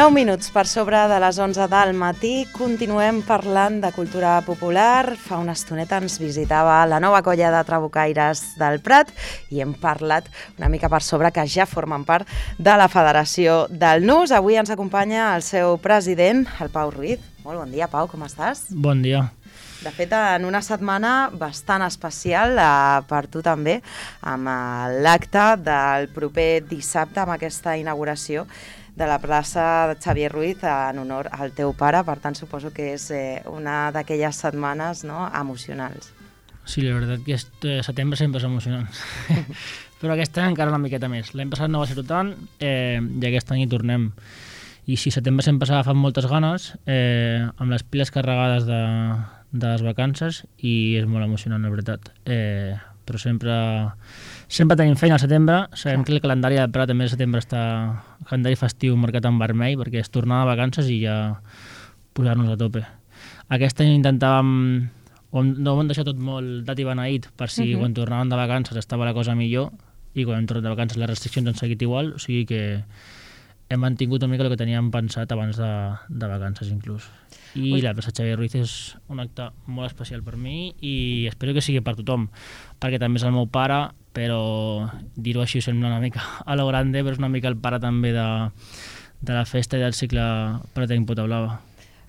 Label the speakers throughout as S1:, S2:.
S1: 9 minuts per sobre de les 11 del matí, continuem parlant de cultura popular. Fa una estoneta ens visitava la nova colla de trabucaires del Prat i hem parlat una mica per sobre que ja formen part de la Federació del Nus. Avui ens acompanya el seu president, el Pau Ruiz. Molt bon dia, Pau, com estàs?
S2: Bon dia.
S1: De fet, en una setmana bastant especial per tu també, amb l'acte del proper dissabte, amb aquesta inauguració de la plaça de Xavier Ruiz en honor al teu pare. Per tant, suposo que és una d'aquelles setmanes, no, emocionals.
S2: Sí, la veritat que setembre sempre és emocionant. Però aquest any encara una miqueta més. L'any passat no va ser tant i aquest any hi tornem. I sí, setembre sempre s'ha agafat moltes ganes, amb les piles carregades de les vacances, i és molt emocionant, la veritat. Però sempre tenim feina al setembre. Sabem que el calendari del Prat també al setembre està el calendari festiu marcat en vermell, perquè és tornar de vacances i ja posar-nos a tope. Aquest any intentàvem, no ho hem deixat tot molt dat i beneït, per si quan tornàvem de vacances estava la cosa millor, i quan hem tornat de vacances les restriccions han seguit igual, o sigui que hem mantingut una mica el que teníem pensat abans de vacances inclús. I la plaça Xavier Ruiz és un acte molt especial per mi i espero que sigui per tothom, perquè també és el meu pare, però dir-ho així sembla una mica a lo grande, però és una mica el pare també de la festa i del cicle Pratenc Pota Blava.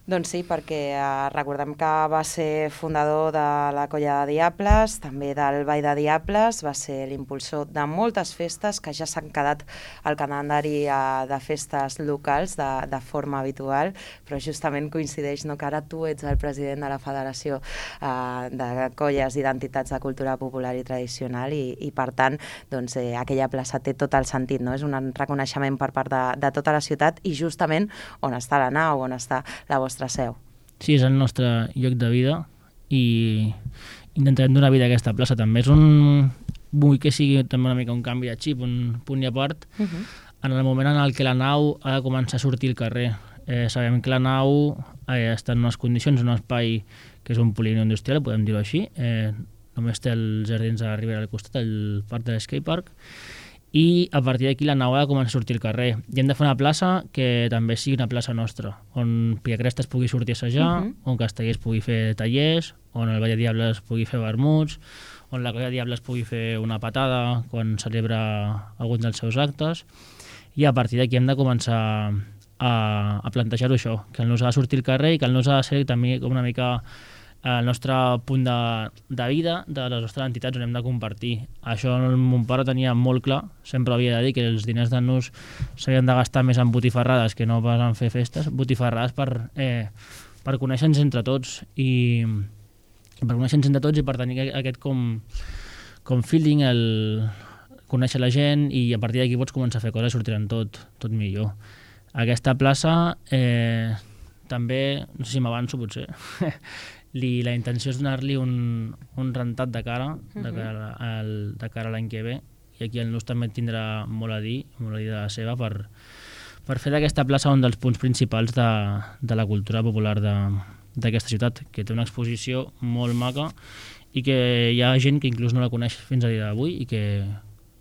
S1: Doncs sí, perquè recordem que va ser fundador de la Colla de Diables, també del Ball de Diables, va ser l'impulsor de moltes festes que ja s'han quedat al calendari de festes locals de forma habitual, però justament coincideix que ara tu ets el president de la Federació de Colles i d'Entitats de Cultura Popular i Tradicional i per tant, doncs, aquella plaça té tot el sentit, no? És un reconeixement per part de tota la ciutat i justament on està la nau, on està la vostra seu.
S2: Sí, és el nostre lloc de vida i intentarem donar vida a aquesta plaça també. Vull que sigui també una mica un canvi de xip, un punt i a part, en el moment en què la nau ha de començar a sortir al carrer. Sabem que la nau està en unes condicions, en un espai que és un polígon industrial, podem dir-ho així, només té els jardins de la Ribera al costat, el parc de l'Skatepark, i a partir d'aquí la nau ha de començar a sortir al carrer. I hem de fer una plaça que també sigui una plaça nostra, on Piacrestes pugui sortir a assajar, on Castellers pugui fer tallers, on el Ball de Diables pugui fer vermuts, on la Colla de Diables pugui fer una patada quan celebra algun dels seus actes, i a partir d'aquí hem de començar a plantejar-ho això, que el Nus ha de sortir al carrer i que el Nus ha de ser també com una mica el nostre punt de vida, de les nostres entitats on hem de compartir. Això mon pare tenia molt clar, sempre havia de dir que els diners del Nus s'havien de gastar més en botifarrades que no pas en fer festes, botifarrades per conèixer-nos entre tots i per tenir aquest com feeling, el conèixer la gent, i a partir d'aquí pots començar a fer coses i sortiran tot millor. Aquesta plaça també, no sé si m'avanço potser, la intenció és donar-li un rentat de cara a l'any que ve, i aquí el Nus també tindrà molt a dir de la seva per fer d'aquesta plaça un dels punts principals de la cultura popular d'aquesta ciutat, que té una exposició molt maca i que hi ha gent que inclús no la coneix fins a dia d'avui i que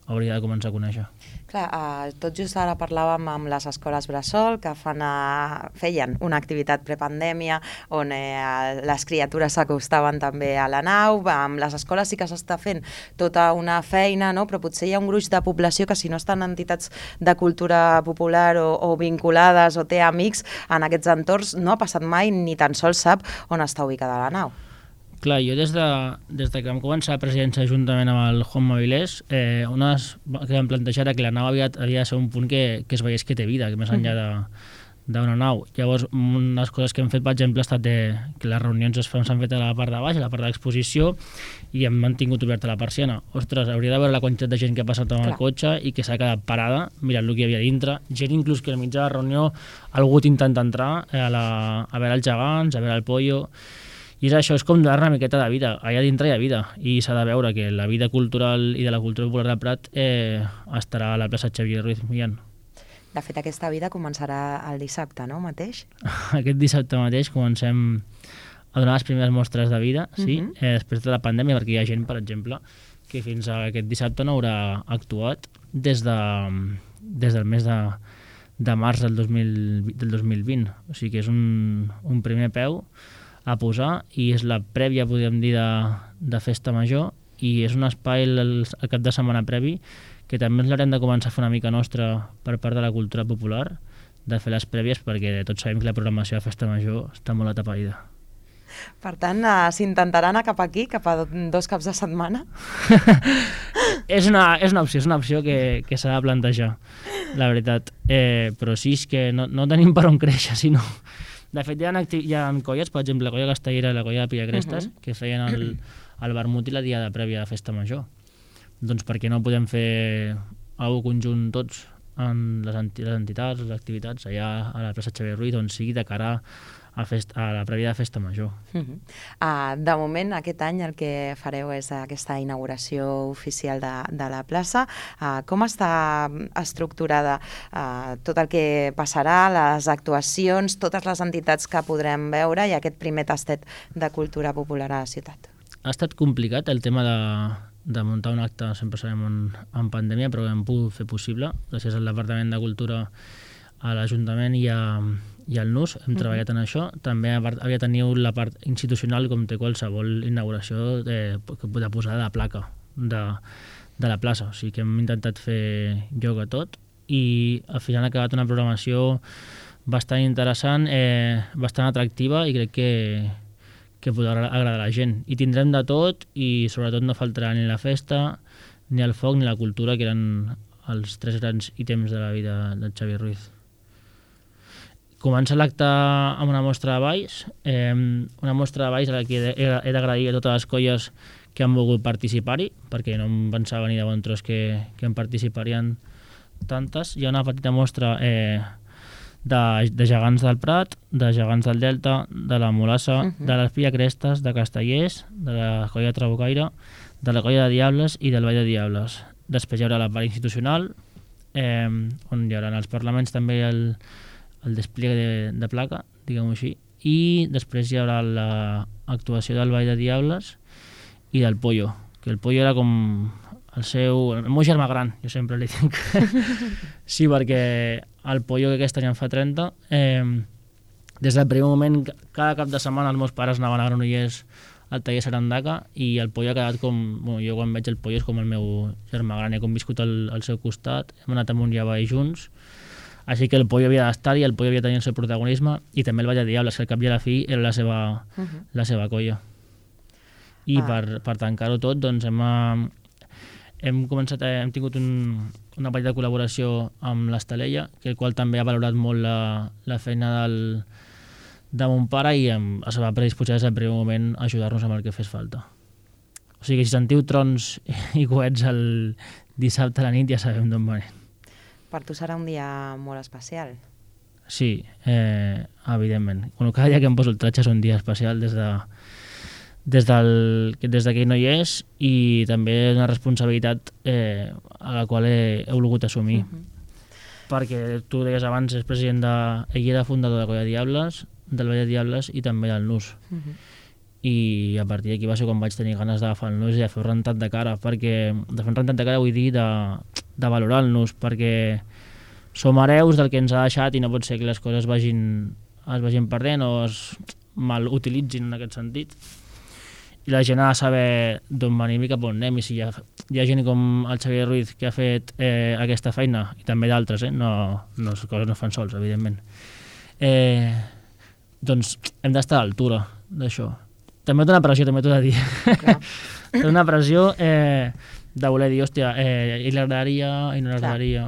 S2: hauria de començar a conèixer.
S1: Clar, tot just ara parlàvem amb les escoles bressol que feien una activitat prepandèmia on les criatures s'acostaven també a la nau. Amb les escoles sí que s'està fent tota una feina, no? Però potser hi ha un gruix de població que si no estan en entitats de cultura popular o vinculades o té amics en aquests entorns no ha passat mai ni tan sols sap on està ubicada la nau.
S2: Clar, jo des que vam començar la presidència juntament amb el Juan Mavilés, una que vam plantejar era que la nau havia de ser un punt que es veiés que té vida, que més enllà d'una nau. Llavors, unes coses que hem fet, per exemple, ha estat que les reunions s'han fet a la part de baix, a la part de l'exposició, i hem mantingut oberta la persiana. Ostres, hauria de veure la quantitat de gent que ha passat amb el cotxe i que s'ha quedat parada mirant el que hi havia dintre. Gent inclús que al mig de la reunió ha hagut intentat entrar a veure els gegants, a veure el pollo. I això és com donar una miqueta de vida. Allà dintre hi ha vida i s'ha de veure que la vida cultural i de la cultura popular del Prat estarà a la plaça Xavier Ruiz Millán.
S1: De fet, aquesta vida començarà el dissabte, no, mateix?
S2: Aquest dissabte mateix comencem a donar les primeres mostres de vida, sí, després de la pandèmia, perquè hi ha gent, per exemple, que fins a aquest dissabte no haurà actuat des del mes de març del 2020. O sigui que és un primer peu a posar i és la prèvia, podríem dir, de Festa Major, i és un espai el cap de setmana previ que també ens l'haurem de començar a fer una mica nostra per part de la cultura popular, de fer les prèvies, perquè tots sabem que la programació de Festa Major està molt atapeïda.
S1: Per tant, s'intentarà anar cap aquí, cap a 2 caps de setmana?
S2: És una opció que s'ha de plantejar, la veritat. Però sí, és que no tenim per on créixer, sinó... De fet, hi ha colles, per exemple, la colla Castellera i la colla de Pillacrestes, que feien el vermut i la diada prèvia de Festa Major. Doncs perquè no podem fer alguna conjunt tots en les entitats, les activitats, allà a la plaça Xavier Ruiz, on sigui de cara a la prèvia de Festa Major.
S1: De moment, aquest any el que fareu és aquesta inauguració oficial de la plaça. Com està estructurada tot el que passarà, les actuacions, totes les entitats que podrem veure i aquest primer tastet de cultura popular a la ciutat?
S2: Ha estat complicat el tema de muntar un acte, sempre sabem, en pandèmia, però hem pogut fer possible, gràcies al Departament de Cultura, a l'Ajuntament i al NUS, hem treballat en això. També havia tingut la part institucional, com té qualsevol inauguració de posada de placa de la plaça. O sigui que hem intentat fer lloc a tot i al final ha acabat una programació bastant interessant, bastant atractiva, i crec que podrà agradar a la gent. I tindrem de tot i sobretot no faltarà ni la festa, ni el foc, ni la cultura, que eren els 3 grans ítems de la vida del Xavier Ruiz. Comença l'acte amb una mostra de balls, una mostra de balls a la que he d'agrair a totes les colles que han volgut participar-hi, perquè no em pensava ni de bon tros que en participarien tantes. Hi ha una petita mostra de gegants del Prat, de gegants del Delta, de la Molassa, de les Pillacrestes, de Castellers, de la colla Trabucaire, de la colla de Diables i del Ball de Diables. Després hi haurà la part institucional, on hi haurà els parlaments també el despliegue de placa, diguem-ho així, i després hi haurà l'actuació del Ball de Diables i del Pollo, que el Pollo era com el meu germà gran, jo sempre li dic. Sí, perquè el Pollo, que aquest any en fa 30, des del primer moment, cada cap de setmana els meus pares anaven a Granollers al taller Sarandaca, i el Pollo ha quedat com... Bueno, jo quan veig el Pollo és com el meu germà gran, he conviscut al seu costat, hem anat amunt i avall junts, així que el Pollo havia d'estar i el Pollo havia de tenir el seu protagonisme, i també el Ball de Diables, que al cap i a la fi era la seva colla. I per tancar-ho tot, doncs hem tingut una petita col·laboració amb l'Estalella, que el qual també ha valorat molt la feina de mon pare i es va predisposar des del primer moment a ajudar-nos amb el que fes falta. O sigui que si sentiu trons i coets el dissabte a la nit ja sabem d'on venen.
S1: Per tu serà un dia molt especial.
S2: Sí, evidentment. Cada dia que em poso el tratge és un dia especial des que ell no hi és, i també una responsabilitat a la qual he volgut assumir. Perquè tu deies abans, és president ell era fundador de Colla Diables, del Ball de Diables i també del NUS. I a partir d'aquí va ser quan vaig tenir ganes d'agafar el NUS i de fer un rentat de cara, perquè de fer un rentat de cara vull dir de valorar el NUS, perquè som hereus del que ens ha deixat i no pot ser que les coses es vagin perdent o es mal utilitzin en aquest sentit. I la gent ha de saber d'on venim i cap on anem, i si hi ha gent com el Xavier Ruiz que ha fet aquesta feina, i també d'altres, les coses no fan sols, evidentment, doncs hem d'estar a l'altura d'això. També té una pressió, també t'ho he de dir. Té una pressió de voler dir, hòstia, i l'agradaria, i no l'agradaria,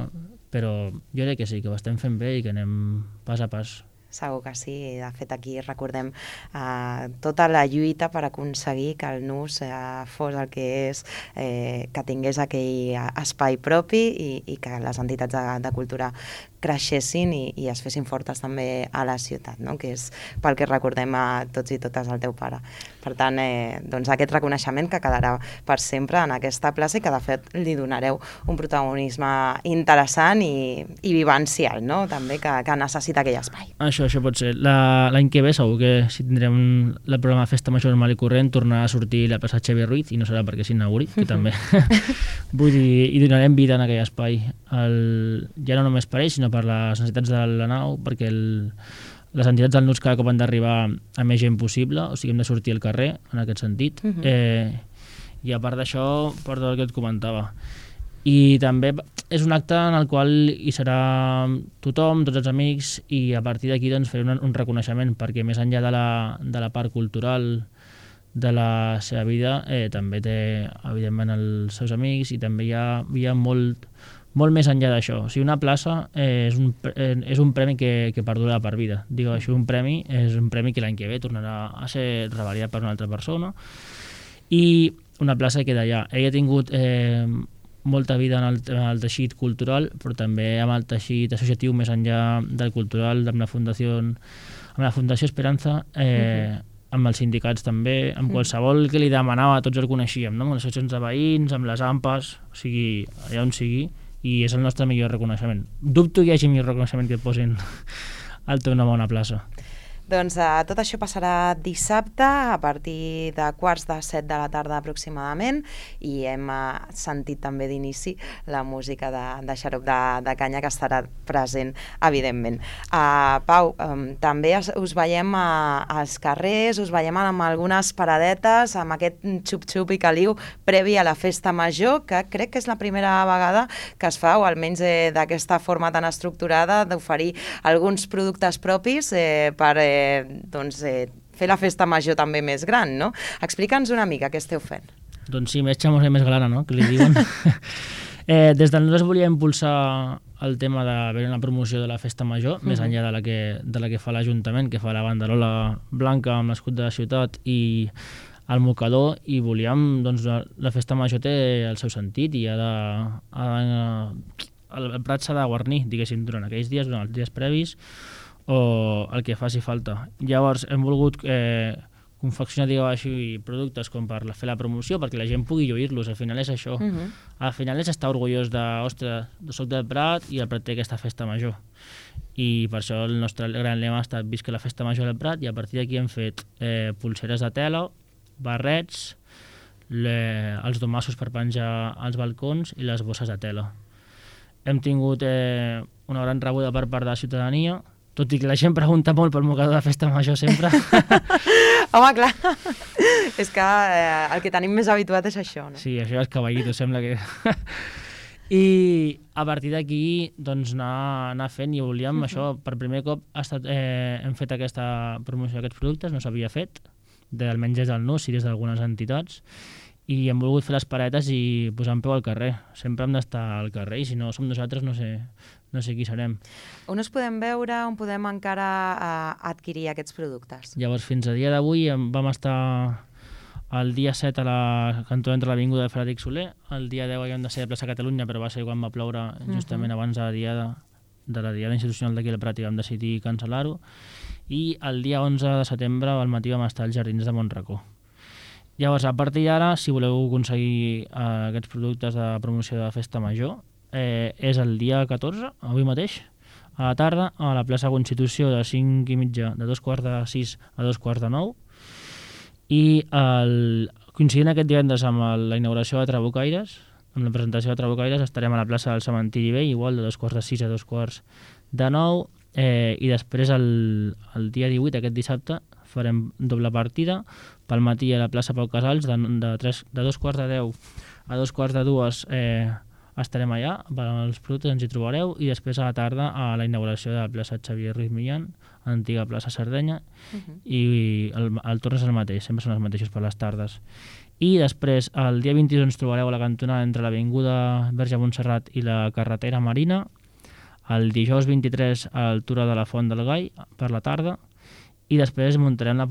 S2: però jo crec que sí, que ho estem fent bé i que anem pas a pas.
S1: Segur que sí. De fet, aquí recordem tota la lluita per aconseguir que el NUS fos el que és, que tingués aquell espai propi i que les entitats de cultura creixessin i es fessin fortes també a la ciutat, no? Que és pel que recordem a tots i totes el teu pare. Per tant, doncs aquest reconeixement que quedarà per sempre en aquesta plaça i que de fet li donareu un protagonisme interessant i vivencial, no? També que necessita aquell espai.
S2: Això pot ser. L'any que ve segur que si tindrem el programa Festa Major normal i corrent tornarà a sortir la plaça Xavier Ruiz, i no serà perquè s'inauguri, que també vull dir, i donarem vida en aquell espai. Ja no només per ell, sinó sinó per les necessitats de la nau, perquè les entitats del NUS cada cop han d'arribar a més gent possible, o sigui, hem de sortir al carrer, en aquest sentit. I a part d'això, per tot el que et comentava. I també és un acte en el qual hi serà tothom, tots els amics, i a partir d'aquí doncs, fer un reconeixement, perquè més enllà de la part cultural de la seva vida, també té, evidentment, els seus amics, i també hi ha molt més enllà d'això. O sigui, una plaça és un premi que perdura per vida. Digo, això és un premi que l'any que ve tornarà a ser revalidat per una altra persona, i una plaça que queda allà. Ell ha tingut molta vida en el teixit cultural, però també amb el teixit associatiu més enllà del cultural, amb la Fundació Esperanza, amb els sindicats també, amb qualsevol que li demanava, tots el coneixíem, no? Amb les associacions de veïns, amb les AMPAs, o sigui, allà on sigui, i és el nostre millor reconeixement. Dubto que hi hagi millor reconeixement que et posin el teu nom a una plaça.
S1: Doncs tot això passarà dissabte a partir de 6:45 de la tarda aproximadament, i hem sentit també d'inici la música de Xarop de Canya, que estarà present, evidentment. Pau, també us veiem als carrers, us veiem amb algunes paradetes, amb aquest xup-xup i caliu previ a la festa major, que crec que és la primera vegada que es fa, o almenys d'aquesta forma tan estructurada, d'oferir alguns productes propis per fer la festa major també més gran, no? Explica'ns una mica què esteu fent.
S2: Doncs sí, més xamos i més glana, no?, que li diuen. Des del nosaltres volia impulsar el tema d'haver una promoció de la festa major, més enllà de la que fa l'Ajuntament, que fa la banderola blanca amb l'escut de la ciutat i el mocador, i volíem, doncs, la festa major té el seu sentit, i el Prat s'ha de guarnir, diguéssim, durant aquells dies, durant els dies previs, o el que faci falta. Llavors hem volgut confeccionar, digueu així, productes com per fer la promoció, perquè la gent pugui lluir-los. Al final és això. Al final és estar orgullós de, ostres, soc del Prat i el Prat té aquesta festa major. I per això el nostre gran lema ha estat visca la festa major del Prat, i a partir d'aquí hem fet pulseres de tela, barrets, els domassos per penjar als balcons i les bosses de tela. Hem tingut una gran rebuda per part de la ciutadania, tot i que la gent pregunta molt pel mocador de festa major sempre.
S1: Home, clar, és que el que tenim més habituat és això, no?
S2: Sí, això és caballito, sembla que... I a partir d'aquí, doncs, anar fent, i volíem això, per primer cop hem fet aquesta promoció d'aquests productes, no s'havia fet, almenys des del NUS i des d'algunes entitats, i hem volgut fer les paretes i posar en peu al carrer. Sempre hem d'estar al carrer, i si no som nosaltres no sé qui serem.
S1: On us podem veure, on podem encara adquirir aquests productes?
S2: Llavors, fins a dia d'avui vam estar el dia 7 a la cantó entre l'Avinguda de Frederic Soler, el dia 10 havíem de ser a Plaça Catalunya, però va ser quan va ploure justament abans de la diada institucional d'aquí al Prat, i vam decidir cancel·lar-ho, i el dia 11 de setembre al matí vam estar als Jardins de Montracó. Llavors, a partir d'ara, si voleu aconseguir aquests productes de promoció de festa major, és el dia 14, avui mateix, a la tarda, a la plaça Constitució, de 5:30, de 5:45 a 8:45, i coincidint aquest divendres amb la inauguració de Trabucaires, amb la presentació de Trabucaires, estarem a la plaça del Cementiri Vell, igual de 8:45 a 8:45, i després el dia 18, aquest dissabte, farem doble partida, pel matí a la plaça Pau Casals, de 2:10 a 2:45 estarem allà, els productes ens hi trobareu, i després a la tarda a la inauguració de la plaça Xavier Ruiz Millán, antiga plaça Sardenya, i el torn és el mateix, sempre són els mateixos per les tardes. I després, el dia 22 ens trobareu a la cantonada entre l'Avinguda Verge Montserrat i la carretera Marina, el dijous 23 a l'altura de la Font del Gai, per la tarda, i després muntarem la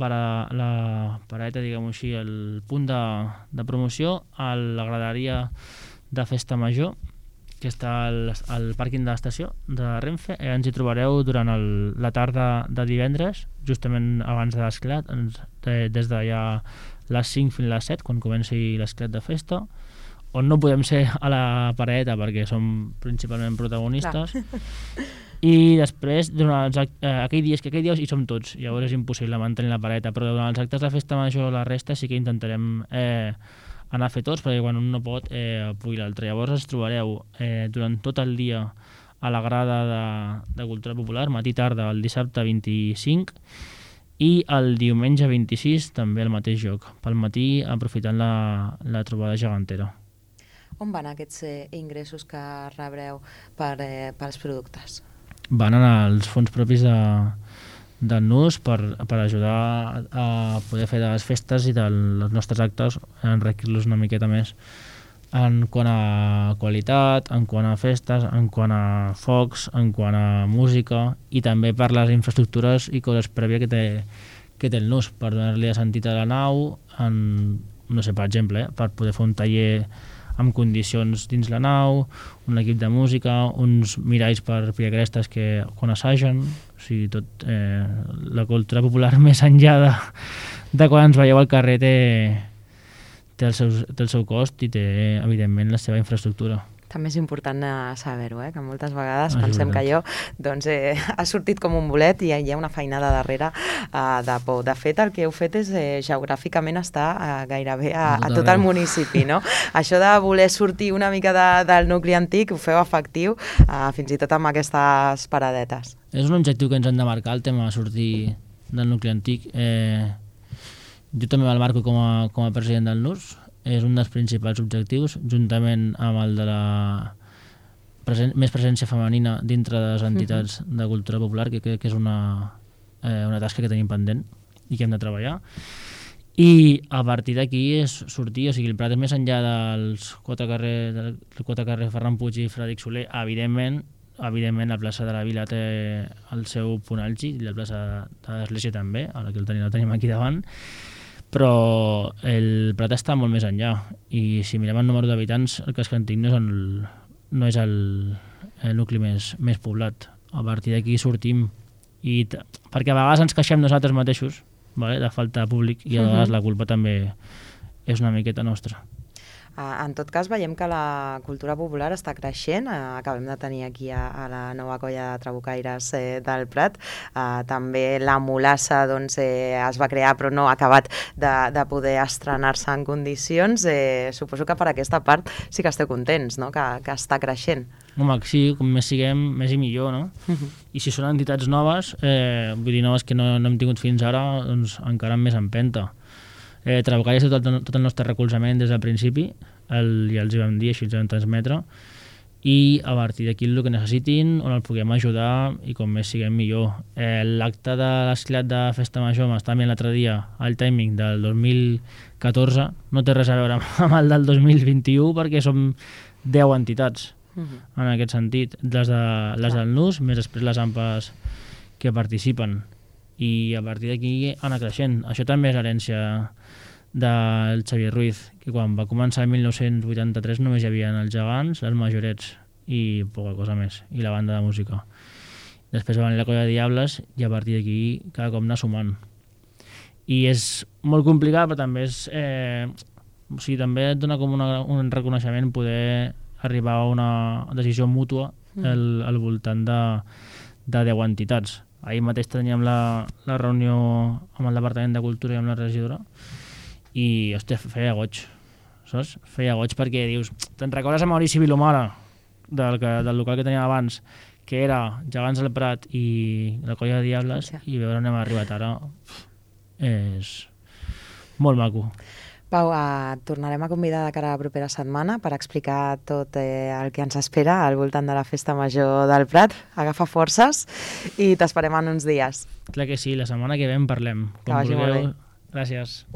S2: paradeta, diguem-ho així, el punt de promoció a la graderia de festa major, que està al pàrquing de l'estació de Renfe. Ens hi trobareu durant la tarda de divendres, justament abans de l'esclat, des de ja les 5 fins a les 7, quan comenci l'esclat de festa, on no podem ser a la paradeta perquè som principalment protagonistes. I després, durant aquell dia hi som tots, llavors és impossible mantenir la paradeta, però durant els actes de festa major, la resta sí que intentarem anar a fer tots, perquè quan un no pot pugui l'altre. Llavors ens trobareu durant tot el dia a la grada de Cultura Popular, matí i tarda, el dissabte 25, i el diumenge 26 també al mateix lloc, pel matí aprofitant la trobada gegantera.
S1: On van aquests ingressos que rebreu pels productes?
S2: Van als fons propis del NUS per ajudar a poder fer de les festes i dels nostres actes, enriquir-los una miqueta més en quant a qualitat, en quant a festes, en quant a focs, en quant a música i també per les infraestructures i coses prèvies que té el NUS, per donar-li sentit a la nau, no sé, per exemple, per poder fer un taller amb condicions dins la nau, un equip de música, uns miralls per piacrestes que quan assagen, o sigui, tot la cultura popular més enllà de quan ens veieu al carrer té el seu cost i té, evidentment, la seva infraestructura.
S1: També és important saber-ho, que moltes vegades pensem que allò ha sortit com un bolet i hi ha una feinada darrere de por. De fet, el que heu fet és geogràficament estar gairebé a tot el municipi, no? Això de voler sortir una mica del nucli antic ho feu efectiu fins i tot amb aquestes paradetes.
S2: És un objectiu que ens hem de marcar, el tema de sortir del nucli antic. Jo també me'l marco com a president del NUS. És un dels principals objectius, juntament amb el de més presència femenina dintre de les entitats de cultura popular, que crec que és una tasca que tenim pendent i que hem de treballar. I a partir d'aquí és sortir, o sigui, el Prat és més enllà dels quatre carrers Ferran Puig i Frederic Soler. Evidentment, la plaça de la Vila té el seu punt àlgid, i la plaça de l'Església també, ara que el tenim aquí davant, però el Prat està molt més enllà i si mirem el número d'habitants el casc antic no és el nucli més poblat. A partir d'aquí sortim perquè a vegades ens queixem nosaltres mateixos, vale, de falta de públic, i a vegades la culpa també és una miqueta nostra.
S1: En tot cas, veiem que la cultura popular està creixent. Acabem de tenir aquí a la nova colla de trabucaires del Prat. També la Mulassa es va crear però no ha acabat de poder estrenar-se en condicions. Suposo que per aquesta part sí que esteu contents, no? Que està creixent.
S2: Home, sí, com més siguem, més i millor, no? I si són entitats noves, vull dir, noves que no hem tingut fins ara, doncs encara amb més empenta. Trabucaires té tot el nostre recolzament des del principi, ja els hi vam dir, així els vam transmetre, i a partir d'aquí el que necessitin, on el puguem ajudar i com més siguem millor. L'acte de l'esclat de Festa Major m'està mirant l'altre dia, el timing del 2014, no té res a veure amb el del 2021 perquè som 10 entitats en aquest sentit, les del NUS, més després les AMPAs que participen. I a partir d'aquí anar creixent. Això també és l'herència del Xavier Ruiz, que quan va començar el 1983 només hi havia els gegants, els majorets i poca cosa més, i la banda de música. Després va venir la colla de Diables i a partir d'aquí cada cop anar sumant. I és molt complicat, però també és... o sigui, també et dona com un reconeixement poder arribar a una decisió mútua al voltant de 10 entitats. Ahir mateix teníem la reunió amb el Departament de Cultura i amb la regidora i, hòstia, feia goig, saps? Feia goig perquè dius, te'n recordes a Maurici Vilomara, del local que teníem abans, que era Gegants del Prat i la colla de Diables, i veure on hem arribat ara és molt maco.
S1: Pau, et tornarem a convidar de cara a la propera setmana per explicar tot el que ens espera al voltant de la Festa Major del Prat. Agafa forces i t'esperem en uns dies.
S2: Clar que sí, la setmana que ve en parlem.
S1: Que vagi molt bé.
S2: Gràcies.